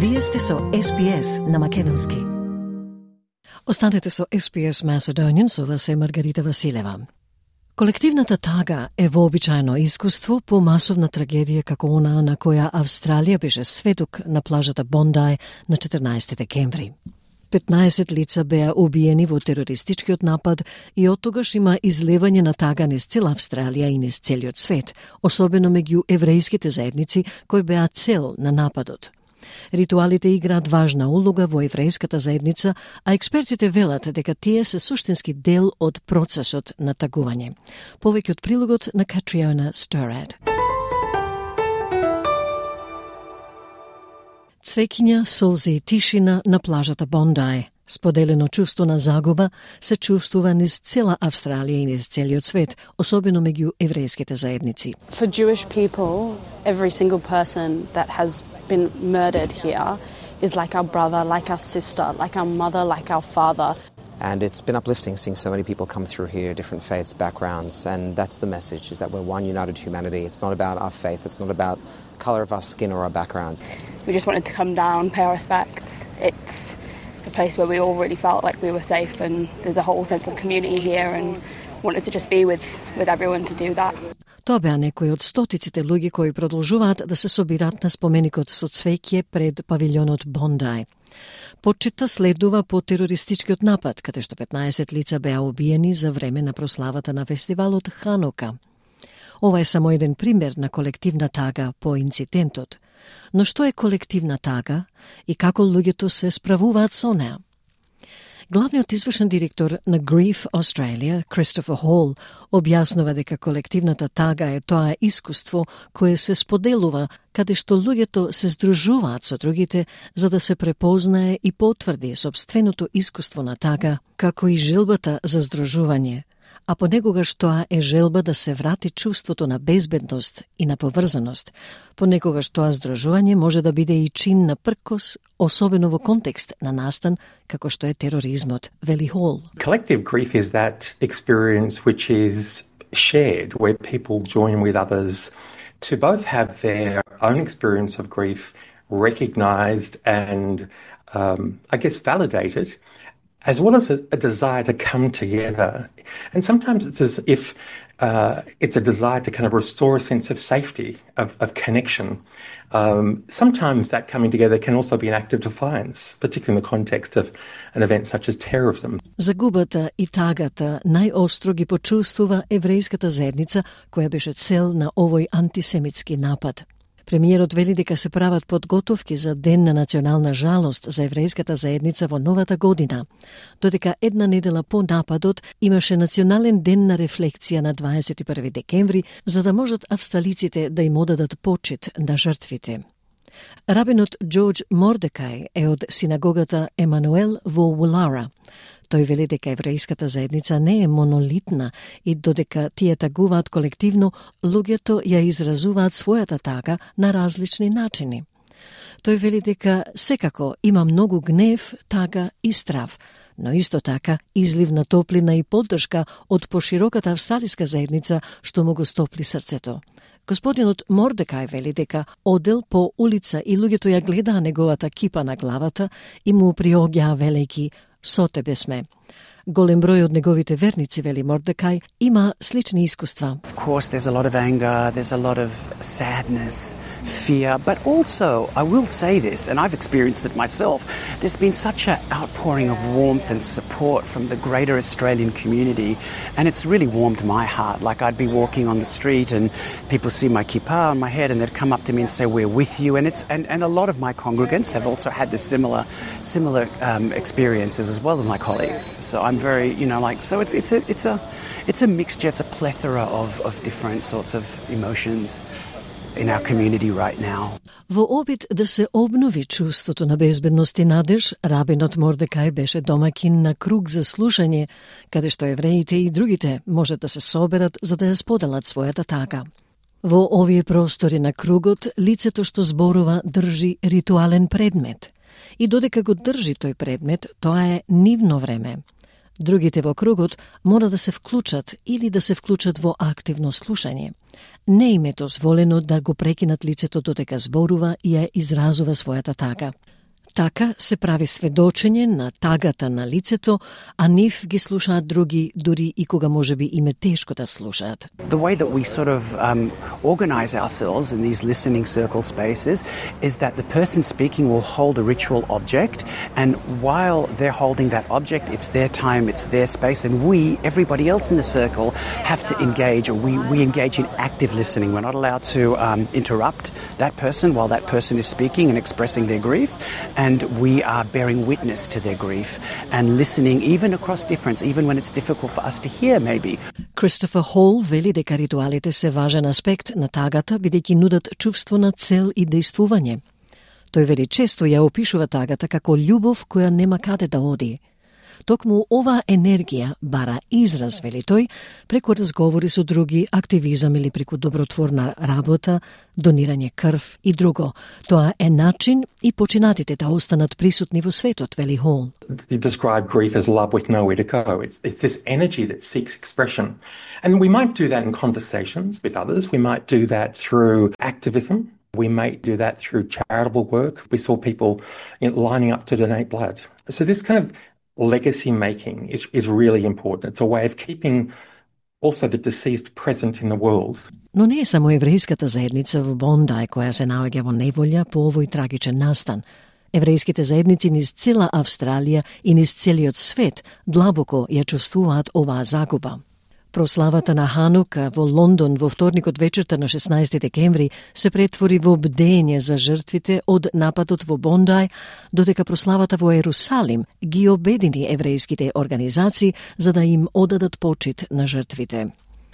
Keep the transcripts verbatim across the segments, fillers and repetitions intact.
Вие сте со Ес Би Ес на македонски. Останете со Ес Би Ес Macedonian, со вас е Маргарита Василева. Колективната тага е вообичаено искуство по масовна трагедија како она на која Австралија беше сведок на плажата Бондај на четрнаесети декември. петнаесет лица беа убиени во терористичкиот напад и оттогаш има излевање на тага низ цела Австралија и низ целиот свет, особено меѓу еврејските заедници кои беа цел на нападот. Ритуалите играат важна улога во еврејската заедница, а експертите велат дека тие се суштински дел од процесот на тагување. Повеќе од прилогот на Катриона Сторад. Цвеќиња, солзи и тишина на плажата Бондај. Споделено чувство на загуба се чувствува низ цела Австралија и низ целиот свет, особено меѓу еврејските заедници. For Jewish people, every single person that has been murdered here is like our brother, like our sister, like our mother, like our father. And it's been uplifting seeing so many people come through here, different faiths, backgrounds, and that's the message, is that we're one united humanity. It's not about our faith, it's not about the colour of our skin or our backgrounds. We just wanted to come down, pay our respects. It's a place where we all really felt like we were safe, and there's a whole sense of community here, and wanted to just be with, with everyone to do that. Тоа беа некои од стотиците луѓе кои продолжуваат да се собираат на споменикот со цвеќе пред павилјонот Бондај. Почита следува по терористичкиот напад, каде што петнаесет лица беа убиени за време на прославата на фестивалот Ханука. Ова е само еден пример на колективна тага по инцидентот. Но што е колективна тага и како луѓето се справуваат со неа? Главниот извршен директор на Grief Australia, Christopher Hall, објаснува дека колективната тага е тоа искуство кое се споделува, каде што луѓето се здружуваат со другите за да се препознае и потврди собственото искуство на тага, како и желбата за здружување, а понекогаш тоа е желба да се врати чувството на безбедност и на поврзаност. Понекогаш тоа здружување може да биде и чин на пркос, особено во контекст на настан како што е тероризмот, вели Хол. Collective grief is that experience which is shared, where people join with others to both have their own experience of grief recognised and, um, I guess, validated, as well as a, a desire to come together. And sometimes it's as if uh, it's a desire to kind of restore a sense of safety, of, of connection. Um, sometimes that coming together can also be an act of defiance, particularly in the context of an event such as terrorism. Загубата и тагата најостро ги почувствува еврејската заедница, која беше цел на овој антисемитски напад. Премиерот вели дека се прават подготовки за Ден на национална жалост за еврејската заедница во новата година, додека една недела по нападот имаше национален ден на рефлексија на дваесет и први декември, за да можат австралиците да им одадат почит на жртвите. Рабинот Џорџ Мордекај е од синагогата Емануел во Улара. Тој вели дека еврејската заедница не е монолитна и додека тие тагуваат колективно, луѓето ја изразуваат својата тага на различни начини. Тој вели дека секако има многу гнев, тага и страв, но исто така излив на топлина и поддршка од пошироката австралиска заедница што му го стопли срцето. Господинот Мордекај вели дека одел по улица и луѓето ја гледаа неговата кипа на главата и му приоѓаа велејки "Со тебе сме". Голем број од неговите верници, вели Мордекај, има слични искуства. Of course, there's a lot of anger, there's a lot of sadness, fear, but also, I will say this, and I've experienced it myself, there's been such an outpouring of warmth and support from the greater Australian community, and it's really warmed my heart. Like, I'd be walking on the street and people see my kippah on my head and they'd come up to me and say, "We're with you," and it's and, and a lot of my congregants have also had this similar similar um, experiences as well as my colleagues. So I'm very, you know, like, so it's it's a it's a it's a mixture, it's a plethora of of different sorts of emotions in our community right now. Во обид да се обнови чувството на безбедност и надеж, рабинот Мордекај беше домакин на круг за слушање, каде што евреите и другите можат да се соберат за да ја споделат својата тага. Во овие простори на кругот, лицето што зборува држи ритуален предмет. И додека го држи тој предмет, тоа е нивно време. Другите во кругот мора да се вклучат или да се вклучат во активно слушање. Не им е дозволено да го прекинат лицето додека зборува и ја изразува својата тага. Така се прави сведочење на тагата на лицето, а нив ги слушаат други, дури и кога можеби им е тешко да слушаат. The way that we sort of um, organize ourselves in these listening circle spaces is that the person speaking will hold a ritual object, and while they're holding that object, it's their time, it's their space, and we, everybody else in the circle, have to engage, or we, we engage in active listening. We're not allowed to um, interrupt that person while that person is speaking and expressing their grief, and we are bearing witness to their grief and listening even across difference, even when it's difficult for us to hear maybe. Кристофер Хол вели дека ритуалите се важен аспект на тагата, бидејќи нудат чувство на цел и дејствување. Тој вели често ја опишува тагата како љубов која нема каде да оди. Токму оваа енергија бара израз, вели тој, преку разговори со други, активизам или преку добротворна работа, донирање крв и друго. Тоа е начин и починатите да останат присутни во светот, вели Хол. You describe grief as love with nowhere to go. It's, it's this energy that seeks expression. And we might do that in conversations with others. We might do that through activism. We might do that through charitable work. We saw people, you know, lining up to donate blood. So this kind of legacy making is, is really important. It's a way of keeping also the deceased present in the world. Но не е само еврејската заедница во Бондај која се наоѓа во неволја по овој трагичен настан. Еврејските заедници низ цела Австралија и низ целиот свет длабоко ја чувствуваат оваа загуба. Прославата на Ханука во Лондон во вторникот вечерта на шеснаесети декември се претвори во бдење за жртвите од нападот во Бондај, додека прославата во Ерусалим ги обедини еврејските организации за да им одадат почит на жртвите.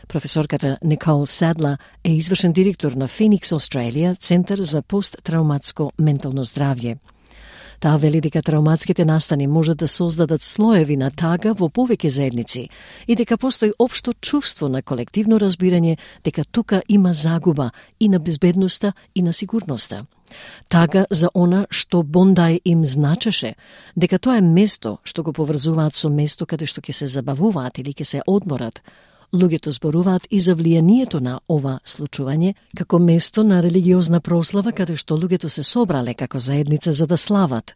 Професорката Никол Садла е извршен директор на Феникс Australia, Центар за посттрауматско ментално здравје. Таа вели дека трауматските настани можат да создадат слоеви на тага во повеќе заедници и дека постои општо чувство на колективно разбирање дека тука има загуба и на безбедноста и на сигурноста. Тага за она што Бондај им значеше, дека тоа е место што го поврзуваат со место каде што ќе се забавуваат или ќе се одморат. Луѓето зборуваат и за влијанието на ова случување како место на религиозна прослава каде што луѓето се собрале како заедница за да слават.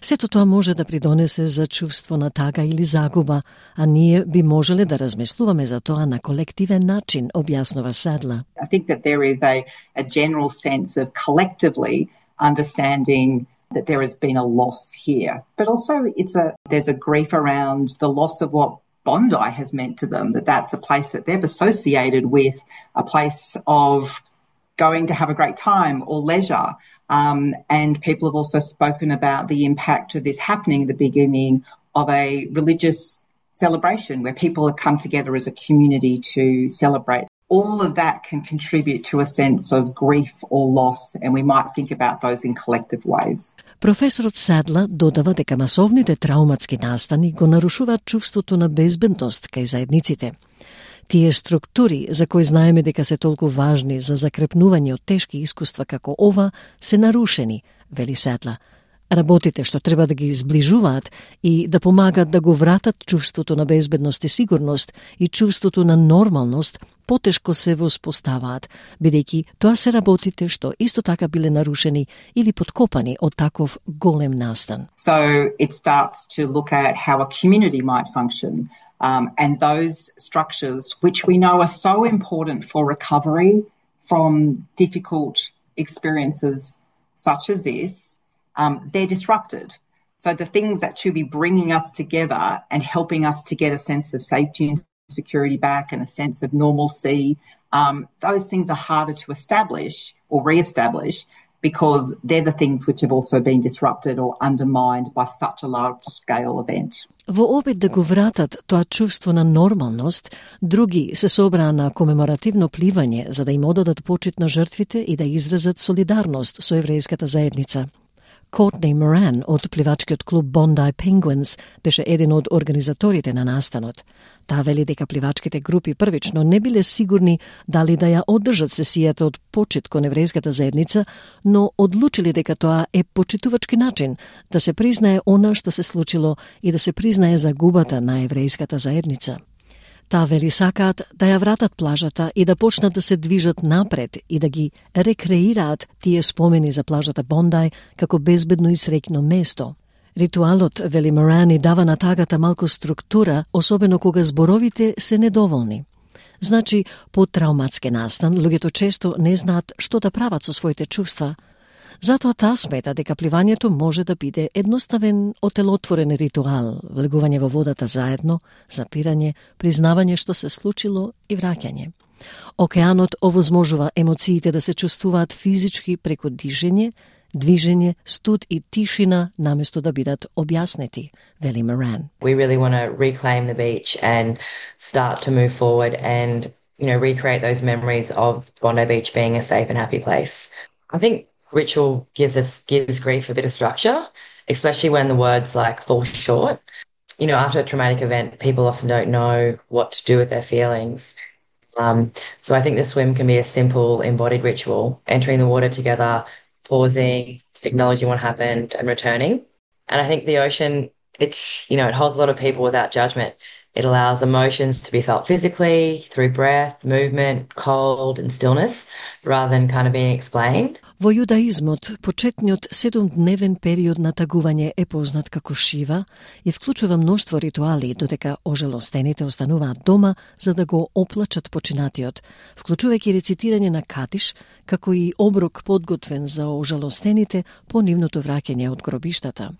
Сето тоа може да придонесе за чувство на тага или загуба, а ние би можеле да размислуваме за тоа на колективен начин, објаснува Садла. I think that there is a, a general sense of collectively understanding that there has been a loss here. But also it's a there's a grief around the loss of what Bondi has meant to them, that that's a place that they've associated with, a place of going to have a great time or leisure. Um, and people have also spoken about the impact of this happening at the beginning of a religious celebration where people have come together as a community to celebrate. All of that can contribute to a sense of grief or loss, and we might think about those in collective ways. Професорот Садла додава дека масовните трауматски настани го нарушуваат чувството на безбедност кај заедниците. Тие структури, за кои знаеме дека се толку важни за закрепнување од тешки искуства како ова, се нарушени, вели Садла. Работите што треба да ги зближуваат и да помагат да го вратат чувството на безбедност и сигурност и чувството на нормалност, потешко се воспоставаат, бидејќи тоа се работите што исто така биле нарушени или подкопани од таков голем настан. So it starts to look at how a community might function, um, and those structures which we know are so important for recovery from difficult experiences such as this, um, they're disrupted. So the things that should be bringing us together and helping us to get a sense of safety and security back and a sense of normalcy, um, those things are harder to establish or re-establish because they're the things which have also been disrupted or undermined by such a large-scale event. Во опит да го вратат тоа чувство на нормалност, други се собраа на комеморативно пливање за да им одадат почит на жртвите и да изразат солидарност со еврејската заедница. Courtney Moran од пливачкиот клуб Bondi Penguins беше еден од организаторите на настанот. Таа вели дека пливачките групи првично не биле сигурни дали да ја одржат сесијата од почит кон еврејската заедница, но одлучили дека тоа е почитувачки начин да се признае она што се случило и да се признае загубата на еврејската заедница. Таа вели сакаат да ја вратат плажата и да почнат да се движат напред и да ги рекреираат тие спомени за плажата Бондај како безбедно и среќно место. Ритуалот, вели Морани, дава на тагата малку структура, особено кога зборовите се недоволни. Значи, по травматски настан, луѓето често не знаат што да прават со своите чувства. Затоа таа смета дека пливањето може да биде едноставен, отелотворен ритуал, влегување во водата заедно, запирање, признавање што се случило и враќање. Океанот овозможува емоциите да се чувствуваат физички преку дишење, движење, студ и тишина наместо да бидат објаснети, вели Моран. We really want to reclaim the beach and start to move forward and, you know, recreate those memories of Bondi Beach being a safe and happy place. I think ritual gives us gives grief a bit of structure, especially when the words like fall short. You know, after a traumatic event, people often don't know what to do with their feelings. Um, so I think the swim can be a simple embodied ritual, entering the water together, pausing, acknowledging what happened and returning. And I think the ocean, it's, you know, it holds a lot of people without judgment. It allows emotions to be felt physically, through breath, movement, cold and stillness, rather than kind of being explained. Во јудаизмот, почетниот седумдневен период на тагување е познат како Шива и вклучува мноштво ритуали, додека ожалостените остануваат дома за да го оплачат починатиот, вклучувајќи рецитирање на кадиш, како и оброк подготвен за ожалостените по нивното враќање од гробиштата.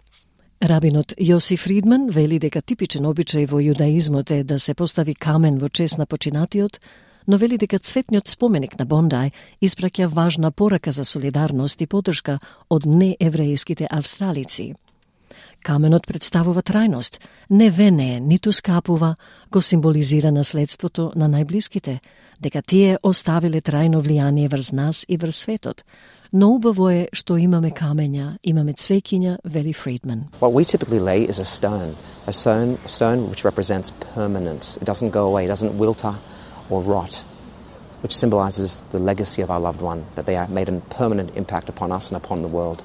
Рабинот Јоси Фридман вели дека типичен обичај во јудаизмот е да се постави камен во чест на починатиот, но вели дека цветниот споменик на Бондај испраќа важна порака за солидарност и поддршка од нееврејските австралици. Каменот представува трајност, не вене, ниту скапува, го символизира наследството на најблиските, дека тие оставиле трајно влијание врз нас и врз светот. Но убаво е што имаме камења, имаме цвеќиња, вели Фридман. What we typically lay is a stone, a stone, a stone which represents permanence. It doesn't go away, it doesn't wilter or rot, which symbolizes the legacy of our loved one, that they have made a permanent impact upon us and upon the world.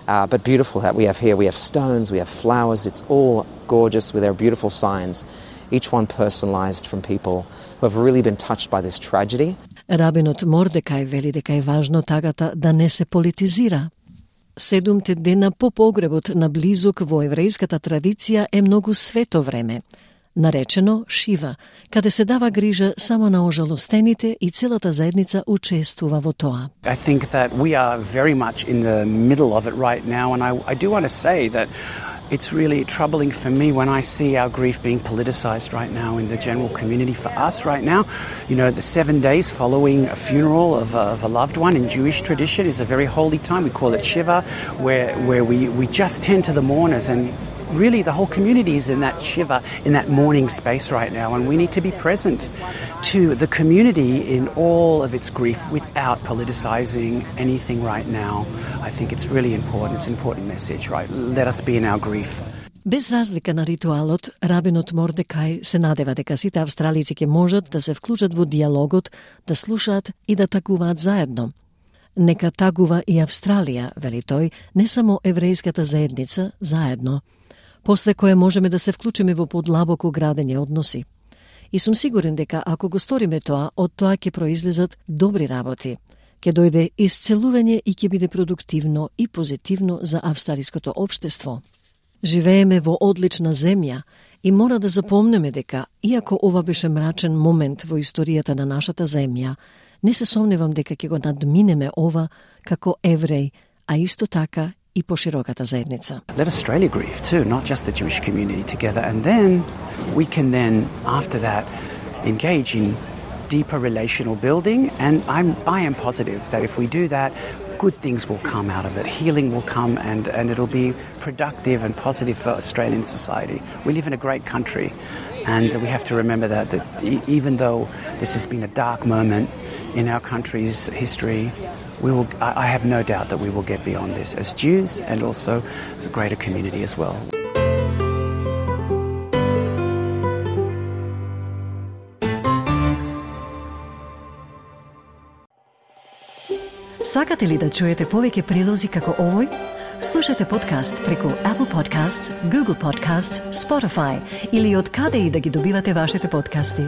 Uh, but beautiful that we have here, we have stones, we have flowers, it's all gorgeous with their beautiful signs, each one personalized from people who have really been touched by this tragedy. Рабинот Мордекај вели дека е важно тагата да не се политизира. Седумте дена по погребот на близук во еврејската традиција е многу свето време, наречено Шива, каде се дава грижа само на ожалостените и целата заедница учествува во тоа. I think that we are very much in the middle of it right now, and I, I do want to say that it's really troubling for me when I see our grief being politicized right now in the general community. For us right now, you know, the seven days following a funeral of a, of a loved one in Jewish tradition is a very holy time. We call it Shiva, where, where we, we just tend to the mourners, and really the whole community is in that Shiva, in that mourning space right now, and we need to be present to the community in all of its grief without politicizing anything right now. I think it's really important. It's an important message, right? Let us be in our grief. Без разлика на ритуалот, рабинот Мордекај се надева дека сите австралици ќе можат да се вклучат во диалогот, да слушаат и да тагуваат заедно. Нека тагува и Австралија, вели тој, не само еврејската заедница, заедно, после кое можеме да се вклучиме во подлабоко градење односи. И сум сигурен дека ако го сториме тоа, од тоа ќе произлезат добри работи. Ќе дојде исцелување и ќе биде продуктивно и позитивно за австралиското општество. Живееме во одлична земја и мора да запомнеме дека, иако ова беше мрачен момент во историјата на нашата земја, не се сомневам дека ќе го надминеме ова како евреј, а исто така и пошироката заедница. Let Australia grieve too, not just the Jewish community together, and then we can then, after that, engage in deeper relational building, and I'm, I am positive that if we do that, good things will come out of it. Healing will come, and, and it'll be productive and positive for Australian society. We live in a great country, and we have to remember that, that e- even though this has been a dark moment in our country's history, we will, I have no doubt that we will get beyond this as Jews and also the greater community as well. Сакате ли да чуете повеќе прилози како овој? Слушате подкаст преку Apple Podcasts, Google Podcasts, Spotify или од каде и да ги добивате вашите подкасти.